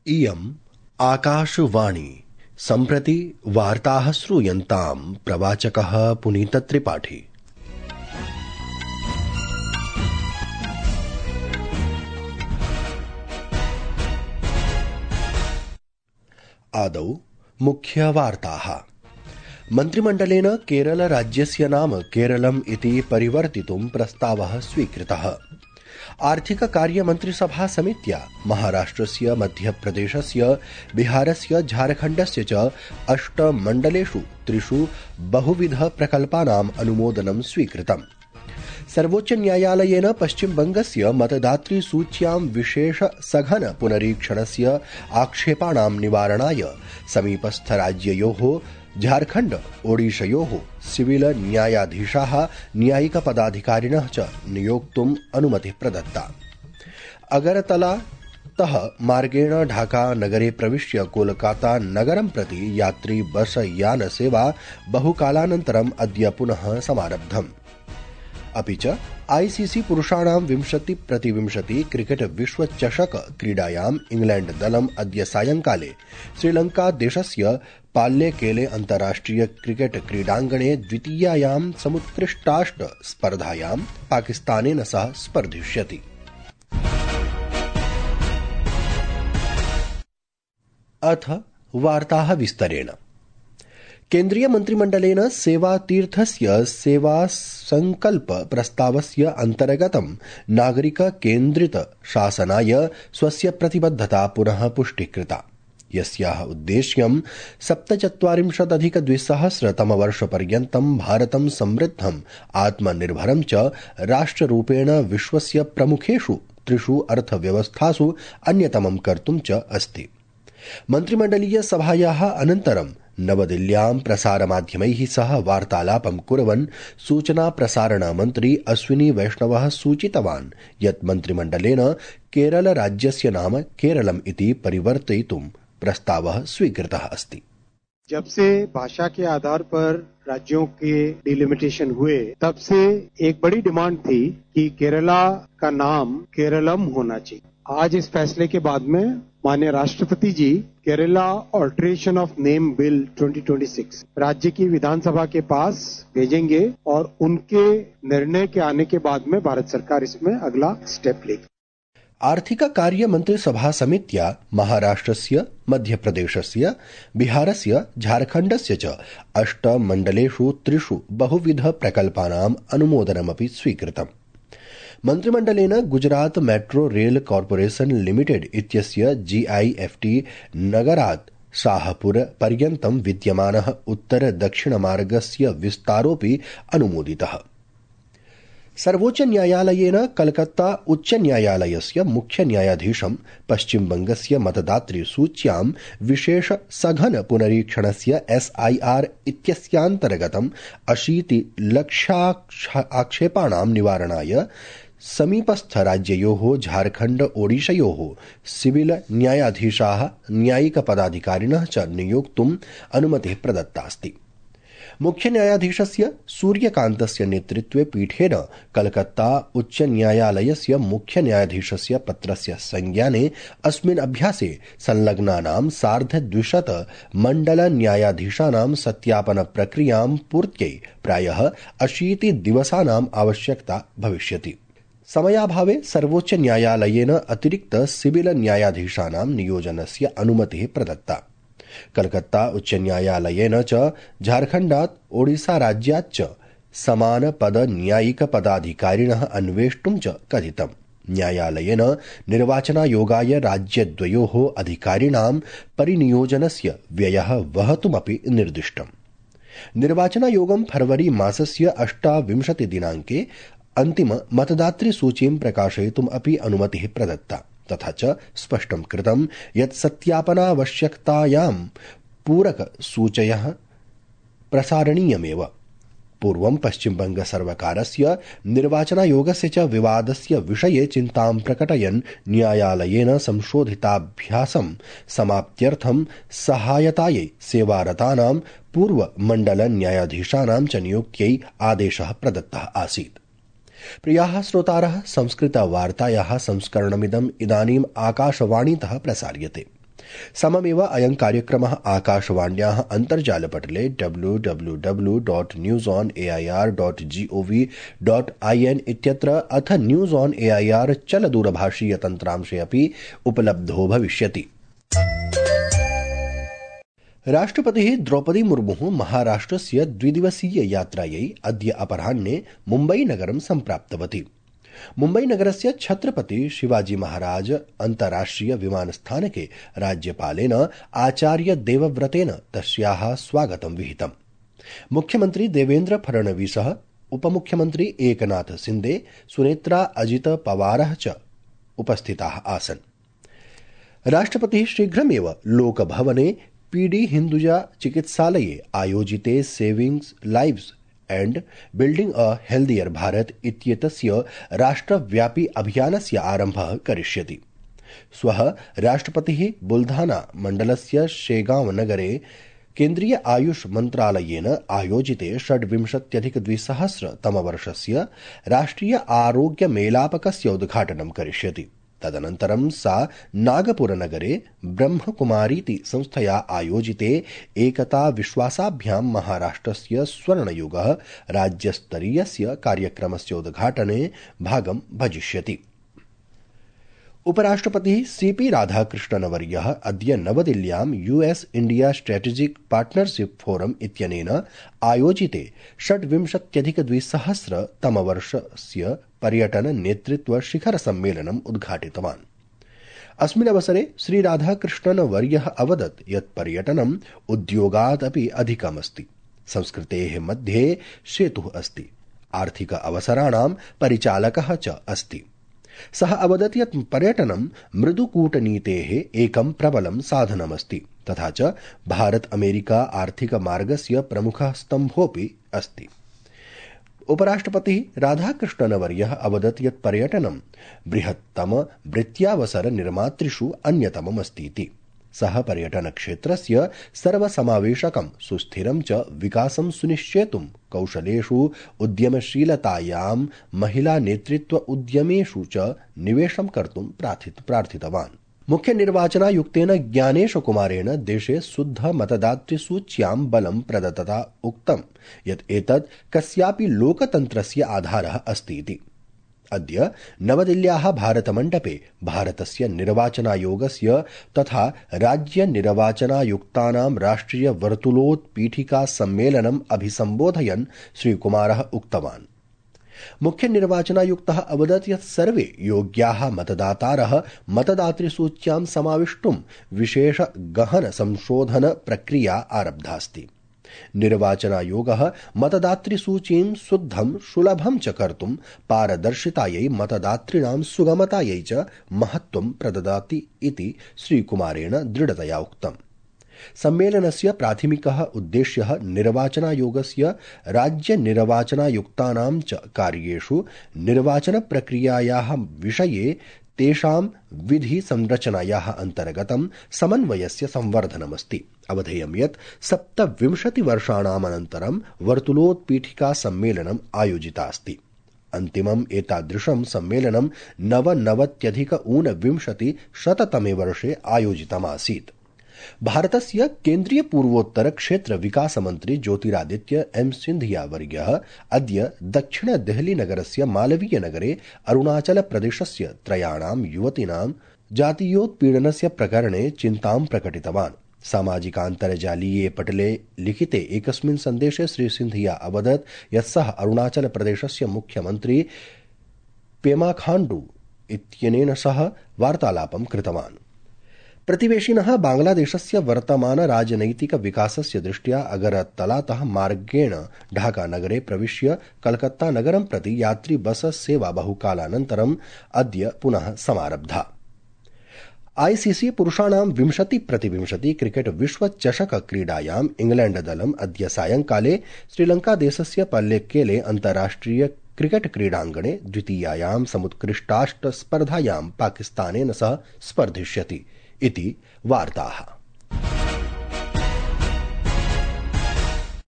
इयम् आकाशवाणी। सम्प्रति वार्ताः श्रूयन्ताम्। प्रवाचकः पुनीतत्रिपाठी। आदौ मुख्यवार्ताः। मन्त्रिमण्डलेन केरलराज्यस्य नाम केरलम् इति परिवर्तितुं प्रस्तावः स्वीकृतः। आर्थिककार्यमन्त्रिसभा समित्या महाराष्ट्रस्य, मध्यप्रदेशस्य, बिहारस्य, झारखण्डस्य च 8 मण्डलेषु 3 बहुविधप्रकल्पानाम् अनुमोदनं स्वीकृतम्। सर्वोच्चन्यायालयेन पश्चिमबंगस्य मतदातृसूच्यां विशेष सघन पुनरीक्षणस्य आक्षेपाणां निवारणाय समीपस्थराज्ययोः झारखण्ड ओडिशयोः सिविल न्यायाधीशाः, न्यायिकपदाधिकारिणः च नियोक्तुम् अनुमतिः प्रदत्ता। अगरतलातः मार्गेण ढाका नगरे प्रविश्य कोलकाता नगरं प्रति यात्री बस यान सेवा बहुकालानन्तरम् अद्य पुनः समारब्धम्। अपि च आईसीसी पुरुषाणां 20x20 क्रिकेट विश्वचषक क्रीडायाम् इंग्लैण्ड दलम् अद्य सायंकाले श्रीलंकादेशस्य पाल्लेकेले अन्ताराष्ट्रिय क्रिकेट क्रीडाङ्गणे द्वितीयायां समुत्कृष्टाष्ट स्पर्धायां पाकिस्तानेन सह स्पर्धिष्यति। अथ वार्ताः विस्तरेण। केन्द्रीय मन्त्रिमण्डलेन सेवातीर्थस्य सेवासंकल्प प्रस्तावस्य अन्तर्गतं नागरिक केन्द्रित शासनाय स्वस्य प्रतिबद्धता पुनः पुष्टिकृता, यस्याः उद्देश्यं 47-2000 भारतं समृद्धम् आत्मनिर्भरं च राष्ट्ररूपेण विश्वस्य प्रमुखेषु 3 अर्थव्यवस्थासु अन्यतमं कर्तुं च अस्ति। मन्त्रिमण्डलीय सभायाः अनन्तरं नवदिल्ल्यां प्रसारमाध्यमैः सह वार्तालापं कुर्वन् सूचना प्रसारण मन्त्री अश्विनी वैष्णवः सूचितवान् यत् मन्त्रिमण्डलेन केरलराज्यस्य नाम केरलम् इति परिवर्तयितुं प्रस्तावः स्वीकृतः अस्ति। जब से भाषा के आधार पर राज्यों के डिलिमिटेशन हुए, तब से एक बड़ी डिमांड थी कि केरला का नाम केरलम होना चाहिए। आज इस फैसले के बाद में माननीय राष्ट्रपति ji Kerala alteration of name bill 2026 राज्य की विधानसभा के पास भेजेंगे और उनके निर्णय के आने के बाद में भारत सरकार इसमें अगला स्टेप लेगी। आर्थिक कार्य मन्त्रिसभा समित्या महाराष्ट्रस्य, मध्यप्रदेशस्य, बिहारस्य, झारखण्डस्य च 8 मण्डलेषु 3 बहुविध प्रकल्पानाम् अनुमोदनमपि स्वीकृतम्। मन्त्रिमण्डलेन Gujarat metro rail corporation limited इत्यस्य GIFT नगरात् शाहपुर पर्यन्तं विद्यमानः उत्तर-दक्षिणमार्गस्य विस्तारोऽपि अनुमोदितः। सर्वोच्च न्यायालयेन कलकत्ता उच्च न्यायालयस्य मुख्य न्यायाधीशं पश्चिमबंगस्य मतदातृसूच्यां विशेष सघन पुनरीक्षणस्य SIR इत्यस्यान्तर्गतं 80 लक्षाक्षेपाणां निवारणाय समीपस्थराज्ययोः झारखण्ड ओडिशयोः सिविल न्यायाधीशाः, न्यायिकपदाधिकारिणः च नियोक्तुम् अनुमतिः प्रदत्तास्ति। मुख्य न्यायाधीशस्य सूर्यकान्तस्य नेतृत्वे पीठेन कलकत्ता उच्च न्यायालयस्य मुख्य न्यायाधीशस्य पत्रस्य संज्ञाने अस्मिन् अभ्यासे संलग्नानां 250 मण्डल न्यायाधीशानां सत्यापन प्रक्रियां पूर्त्यै प्रायः 80 दिवसानाम् आवश्यकता भविष्यति। समयाभावे सर्वोच्च न्यायालयेन अतिरिक्त सिविल न्यायाधीशानां नियोजनस्य अनुमतिः प्रदत्ता। कलकत्ता उच्च न्यायालयेन च झारखण्डात् ओडिसा राज्यात् च समान पद न्यायिक पदाधिकारिणः अन्वेष्टुं च कथितम्। न्यायालयेन निर्वाचनायोगाय राज्यद्वयोः अधिकारिणां परिनियोजनस्य व्ययः वहतुमपि निर्दिष्टम्। निर्वाचनायोगं फरवरी मासस्य 28 दिनाङ्के अन्तिम मतदातृसूचीं प्रकाशयितुम् अपि अनुमतिः प्रदत्ता। तथा च स्पष्टं कृतं यत् सत्यापनावश्यकतायां पूरकसूचयः प्रसारणीयमेव। पूर्वं पश्चिमबंग सर्वकारस्य निर्वाचनायोगस्य च विवादस्य विषये चिन्तां प्रकटयन् न्यायालयेन संशोधिताभ्यासं समाप्त्यर्थं सहायतायै सेवारतानां पूर्वमण्डल न्यायाधीशानां च नियुक्त्यै आदेशः प्रदत्तः आसीत्। प्रियाः श्रोतारः, संस्कृतवार्तायाः संस्करणमिदम् इदानीम् आकाशवाणीतः प्रसार्यते। सममेव अयं कार्यक्रमः आकाशवाण्याः अन्तर्जालपटले www.newsonair.gov.in इत्यत्र अथ न्यूज़ ऑन एआईआर चलदूरभाषीय तन्त्रांशे अपि उपलब्धो भविष्यति। राष्ट्रपतिः द्रौपदी मुर्मुः महाराष्ट्रस्य द्विदिवसीय यात्रायै अद्य अपराह्ने मुम्बईनगरं सम्प्राप्तवती। मुम्बईनगरस्य छत्रपति शिवाजी महाराज अन्ताराष्ट्रिय विमानस्थानके राज्यपालेन आचार्य देवव्रतेन तस्याः स्वागतं विहितम्। मुख्यमन्त्री देवेन्द्र फडणवीसः, उपमुख्यमन्त्री एकनाथ शिन्दे, सुनेत्रा अजित पवारः च उपस्थिताः आसन्। राष्ट्रपतिः शीघ्रमेव लोकभवने पीडी हिन्दुजा चिकित्सालये आयोजिते savings lives and building a healthier Bharata इत्येतस्य राष्ट्रव्यापी अभियानस्य आरम्भः करिष्यति। श्वः राष्ट्रपतिः बुल्धाना मण्डलस्य शेगांव नगरे केन्द्रीय आयुष मन्त्रालयेन आयोजिते 26+ तमवर्षस्य राष्ट्रिय आरोग्य मेलापकस्य उद्घाटनं करिष्यति। तदनन्तरं सा नागपुरनगरे ब्रह्मकुमारीति संस्थया आयोजिते एकता विश्वासाभ्यां महाराष्ट्रस्य स्वर्णयुगः राज्यस्तरीयस्य कार्यक्रमस्य उद्घाटने भागं भजिष्यति। उपराष्ट्रपतिः सीपी राधाकृष्णनवर्यः अद्य नवदिल्ल्यां US India strategic partnership forum इत्यनेन आयोजिते 26+ तमवर्षस्य पर्यटन नेतृत्व शिखर सम्मेलनम् उद्घाटितवान्। अस्मिन् अवसरे श्री राधाकृष्णनवर्यः अवदत् यत् पर्यटनम् उद्योगात् अपि अधिकमस्ति। संस्कृतेः मध्ये सेतुः अस्ति, आर्थिक अवसराणां परिचालकः च अस्ति। सः अवदत् यत् पर्यटनं मृदुकूटनीतेः एकं प्रबलं साधनमस्ति तथा च भारत अमेरिका आर्थिक मार्गस्य प्रमुखः स्तम्भोऽपि अस्ति। उपराष्ट्रपतिः राधाकृष्णनवर्यः अवदत् यत् पर्यटनं बृहत्तम वृत्त्यावसर निर्मातृषु अन्यतममस्तीति। सः पर्यटनक्षेत्रस्य सर्वसमावेशकं सुस्थिरं च विकासं सुनिश्चेतुं कौशलेषु उद्यमशीलतायां महिला नेतृत्व उद्यमेषु च निवेशं कर्तुं प्रार्थितवान्। मुख्य निर्वाचनायुक्तेन ज्ञानेश कुमारेण देशे शुद्ध मतदातृसूच्यां बलं प्रदत्तता उक्तं यत् एतत् कस्यापि लोकतन्त्रस्य आधारः अस्ति इति। अद्य नवदिल्ल्याः भारतमण्डपे भारतस्य निर्वाचनायोगस्य तथा राज्यनिर्वाचनायुक्तानां राष्ट्रिय वर्तुलोत्पीठिका सम्मेलनम् अभिसम्बोधयन् श्रीकुमारः उक्तवान्। मुख्य निर्वाचनायुक्तः अवदत् यत् सर्वे योग्याः मतदातारः मतदातृसूच्यां समाविष्टुं विशेष गहन संशोधन प्रक्रिया आरब्धास्ति। निर्वाचनायोगः मतदातृसूचीं शुद्धं सुलभं च कर्तुं पारदर्शितायै मतदातॄणां सुगमतायै च महत्त्वं प्रददाति इति श्रीकुमारेण दृढतया उक्तम्। सम्मेलनस्य प्राथमिकः उद्देश्यः निर्वाचनायोगस्य राज्यनिर्वाचनायुक्तानां च कार्येषु निर्वाचनप्रक्रियायाः विषये तेषां विधि संरचनायाः अन्तर्गतं समन्वयस्य संवर्धनमस्ति। अवधेयं यत् 27 वर्षाणाम् अनन्तरं वर्तुलोत्पीठिका सम्मेलनम् आयोजितास्ति। अन्तिमम् एतादृशं सम्मेलनं 99-ऊनविंशतिशततमे वर्षे आयोजितमासीत्। भारतस्य केन्द्रीय पूर्वोत्तर क्षेत्र विकास मन्त्री ज्योतिरादित्य एम सिंधिया वर्यः अद्य दक्षिण देहली नगरस्य मालवीय नगरे अरुणाचल प्रदेशस्य 3 युवतीनां जातीयोत्पीडनस्य प्रकरणे चिन्तां प्रकटितवान्। सामाजिकान्तर्जालीये पटले लिखिते एकस्मिन् सन्देशे श्री सिंधिया अवदत् यत् सः अरुणाचल प्रदेशस्य मुख्यमन्त्री पेमा खाण्डू इत्यनेन सह वार्तालापं कृतवान्। प्रतिवेशिनः बांग्लादेशस्य वर्तमान राजनैतिक विकासस्य दृष्ट्या अगरतलातः मार्गेण ढाकानगरे प्रविश्य कलकत्ता नगरं प्रति यात्री बस सेवा बहुकालानन्तरम् अद्य पुनः समारब्धा। आईसीसी पुरुषाणां 20x20 क्रिकेट विश्वचषक क्रीडायाम् इंग्लैण्ड दलम् अद्य सायंकाले श्रीलंकादेशस्य पल्लेक्केले अन्ताराष्ट्रिय क्रिकेट क्रीडाङ्गणे द्वितीयायां समुत्कृष्टाष्टस्पर्धायां पाकिस्तानेन सह स्पर्धिष्यति इति वार्ताः।